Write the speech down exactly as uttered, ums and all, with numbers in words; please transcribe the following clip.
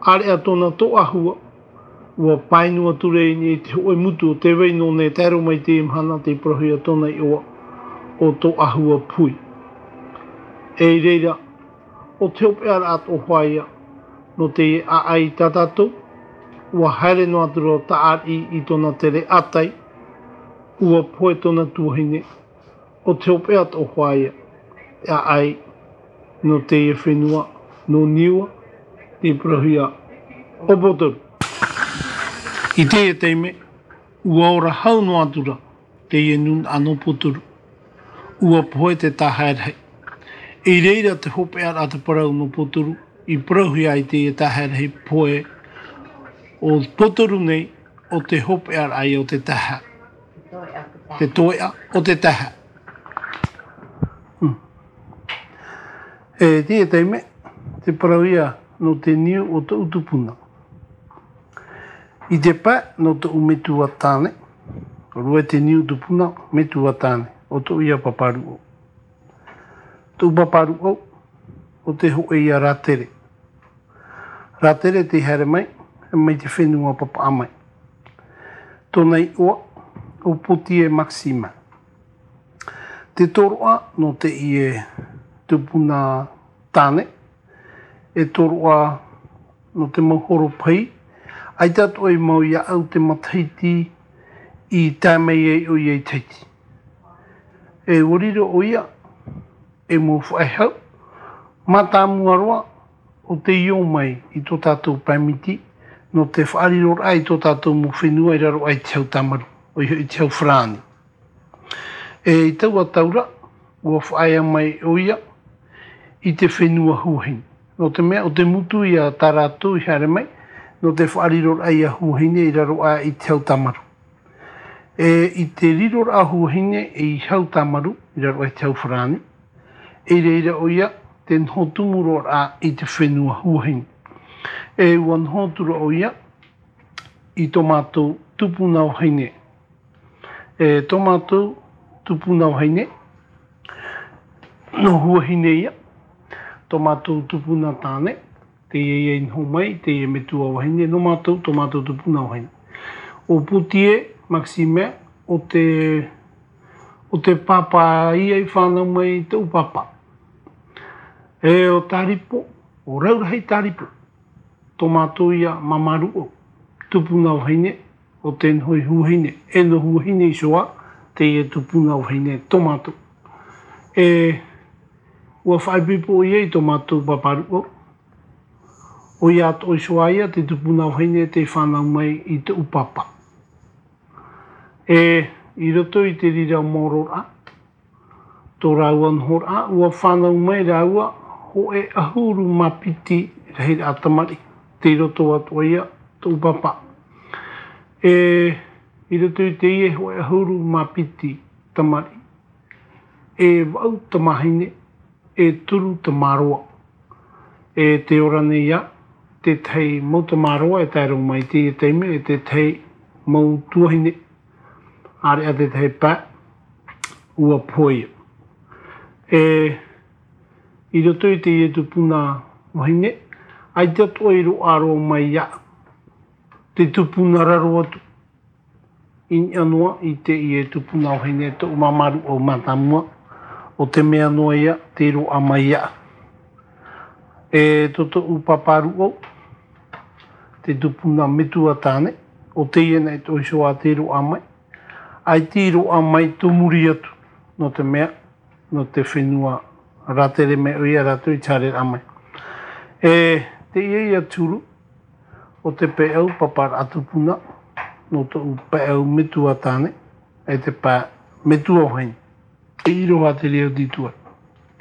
ʻĀreʻa tōna tōʻahua, ua painu atu ra i niʻa i te hōʻē mutu o tē vai noa nei, tae roa mai i teie mahana tei parauhia tōna iʻoa ʻo Tōʻahua Pui. E i reira, ʻo te hopeʻaraʻa atoʻa hoʻi ia nō teie ʻāʻai tā tātou, ua haere noa atu ra ʻo Taʻariʻi i tōna tere ʻātai, ua pohe tōna tuahine, ʻo te hopeʻa atoʻa hoʻi ia, ʻāʻai nō teie fenua, nō Niua, tei parauhia ʻo Potoru. I teie taime, ua ora hau noa atu ra teie nūnaʻa nō Potoru. Ua pohe te tahaʻa rahi. I reira te hopeʻaraʻa te parau nō Potoru, i parauhia ai teie tahaʻa rahi pohe ʻo Potoru nei, ʻo te hopeʻaraʻa ia o te tahaʻa. Te toeʻa o te tahaʻa. Hmm. E teie taime, te parau ia nō te niu o tōʻu tupuna. I te pae nō tōʻu metua tāne, ʻōrua te niu tupuna metua tāne, ʻo tōʻu ia pāpā ruʻau. Tōʻu pāpā ruʻau, ʻo te hōʻē ia rātere. Rātere tei haere mai, mai te fenua Papaʻa mai. Tōna iʻoa, ʻo Potier Maximin. Te tōroʻa nō teie tupuna tāne, e tōroʻa nō te mau horo pahi, ʻaita atoʻa i mau iāʻu te matahiti i tae mai ai ʻoia i Tahiti. E ua riro ʻoia, e mau faʻehau, mātāmua roa, ʻo tei ō mai i tō tātou pae miti, nō te faʻariroraʻa i tō tātou mau fenua i raro aʻe i te hau tāmaru, ʻoia hoʻi te hau farāni. E i taua tau ra, ua faʻaea mai ʻoia i te fenua Huahine. Nō te mea, ʻo te motu ia tā rātou i haere mai, nō te faʻariroraʻa ia Huahine i raro aʻe i te hau tāmaru. E i te riroraʻa Huahine i hau tāmaru, i raro aʻe i te hau farāni, i reira ʻoia te noho tumu roa ra i te fenua Huahine. E ua noho atu ra ʻoia i tō mātou tupuna vahine. E tō mātou tupuna vahine, nō Huahine ia, tō mātou tupuna tāne, teie ia i noho mai, teie metua vahine, nō mātou, tō mātou tupuna vahine. ʻO Potier Maximin, ʻo te, ʻo te pāpā ia i fānau mai i tōʻu pāpā. E ʻo Taripo, ʻo Raurahi Taripo, tō mātou ia māmā ruʻau, tupuna vahine, ʻo te noho i Huahine, e nō Huahine iho ā, teie tupuna vahine tō mātou. E, ua faʻaipoipo ʻoia i tō mātou pāpā ruʻau. ʻOia atoʻa iho ā ia te tupuna vahine tei fānau mai i tōʻu pāpā. E, i roto i te reira maororaʻa, tō rāua nohoraʻa, ua fānau mai rāua hōʻē ʻahuru mā piti rahiraʻa tamariʻi, tei roto atoʻa ia tōʻu pāpā. E, i roto i teie hōʻē ʻahuru mā piti tamariʻi, e vaʻu tamāhine, e toru tamāroa. E tē ora nei ā, te tahi mau tamāroa e tae roa mai i teie taime, e te tahi mau tuahine, ʻāreʻa te tahi pae, ua pohe ia. E, i roto i teie tupuna vahine, ʻaita atoʻa i roaʻa roa mai iāʻu te tupuna raro atu. I niʻa noa i teie tupuna vahine tōʻu māmā ruʻau mātāmua, ʻo te mea noa ia tei roaʻa mai iāʻu. E tō tōʻu pāpā ruʻau, te tupuna metua tāne, ʻo teie nei atoʻa iho ā tei roaʻa mai. ʻAita i roaʻa mai tō muri atu, nō te mea, nō te fenua rātere mai ʻoia rātou i te haereraʻa mai. E teie ia te huru o te peʻau pāpāraʻa tupuna, nō tōʻu peʻau metua tāne, e te pae metua vahine. E ʻīroha te reira o te tuai.